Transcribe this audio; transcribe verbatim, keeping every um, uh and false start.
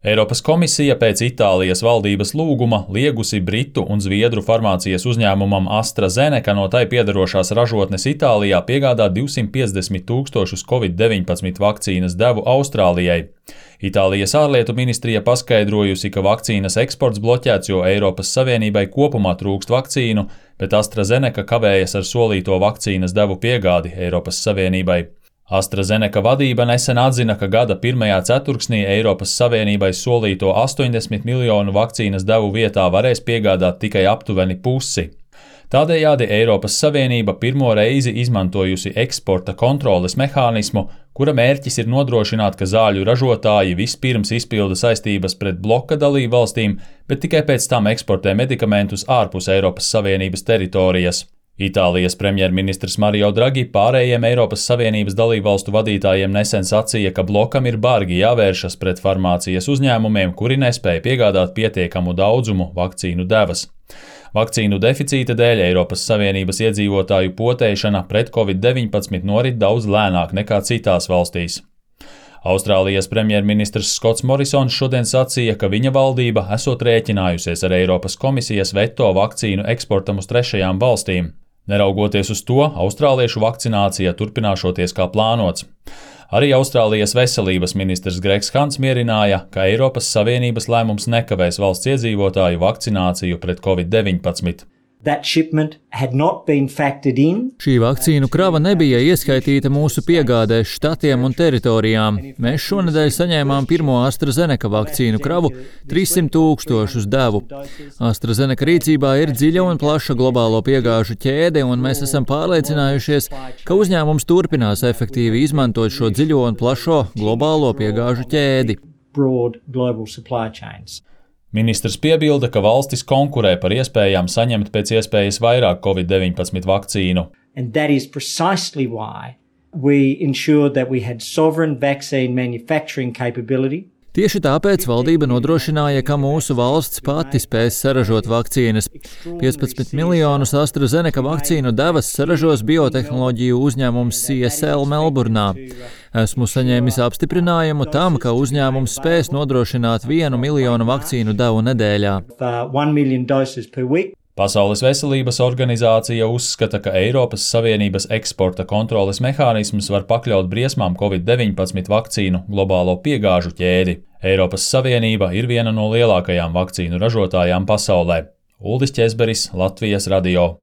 Eiropas komisija pēc Itālijas valdības lūguma liegusi britu un zviedru farmācijas uzņēmumam AstraZeneca no tai piedarošās ražotnes Itālijā piegādāt divsimt piecdesmit tūkstošus covid deviņpadsmit vakcīnas devu Austrālijai. Itālijas ārlietu ministrija paskaidrojusi, ka vakcīnas eksports bloķēts, jo Eiropas Savienībai kopumā trūkst vakcīnu, bet AstraZeneca kavējas ar solīto vakcīnas devu piegādi Eiropas Savienībai. AstraZeneca vadība nesen atzina, ka gada pirmajā ceturksnī Eiropas Savienībai solīto astoņdesmit miljonu vakcīnas devu vietā varēs piegādāt tikai aptuveni pusi. Tādējādi Eiropas Savienība pirmo reizi izmantojusi eksporta kontroles mehānismu, kura mērķis ir nodrošināt, ka zāļu ražotāji vispirms izpilda saistības pret bloka dalībvalstīm, bet tikai pēc tam eksportē medikamentus ārpus Eiropas Savienības teritorijas. Itālijas premjerministrs Mario Draghi pārējiem Eiropas Savienības dalībvalstu vadītājiem nesen sacīja, ka blokam ir bargi jāvēršas pret farmācijas uzņēmumiem, kuri nespēja piegādāt pietiekamu daudzumu vakcīnu devas. Vakcīnu deficīta dēļ Eiropas Savienības iedzīvotāju potēšana pret covid deviņpadsmit norit daudz lēnāk nekā citās valstīs. Austrālijas premjerministrs Skots Morisons šodien sacīja, ka viņa valdība esot rēķinājusies ar Eiropas komisijas veto vakcīnu eksportam uz trešajām valstīm. Neraugoties uz to, austrāliešu vakcinācija turpināšoties kā plānots. Arī Austrālijas veselības ministrs Gregs Hants mierināja, ka Eiropas Savienības lēmums nekavēs valsts iedzīvotāju vakcināciju pret covid deviņpadsmit. Šī vakcīnu krava nebija ieskaitīta mūsu piegādēs štatiem un teritorijām. Mēs šonedēļ saņēmām pirmo AstraZeneca vakcīnu kravu - trīssimt tūkstošus devu. AstraZeneca rīcībā ir dziļa un plaša globālo piegāžu ķēde, un mēs esam pārliecinājušies, ka uzņēmums turpinās efektīvi izmantot šo dziļo un plašo globālo piegāžu ķēdi. Ministrs piebilda, ka valstis konkurē par iespējām saņemt pēc iespējas vairāk covid deviņpadsmit vakcīnu. Tieši tāpēc valdība nodrošināja, ka mūsu valsts pati spēs saražot vakcīnas. piecpadsmit miljonus AstraZeneca vakcīnu devas saražos biotehnoloģiju uzņēmums C S L Melburnā. Esmu saņēmis apstiprinājumu tam, ka uzņēmums spēs nodrošināt vienu miljonu vakcīnu devu nedēļā. Pasaules veselības organizācija uzskata, ka Eiropas Savienības eksporta kontroles mehānisms var pakļaut briesmām covid deviņpadsmit vakcīnu globālo piegāžu ķēdi. Eiropas Savienība ir viena no lielākajām vakcīnu ražotājām pasaulē. Uldis Ķezberis, Latvijas radio.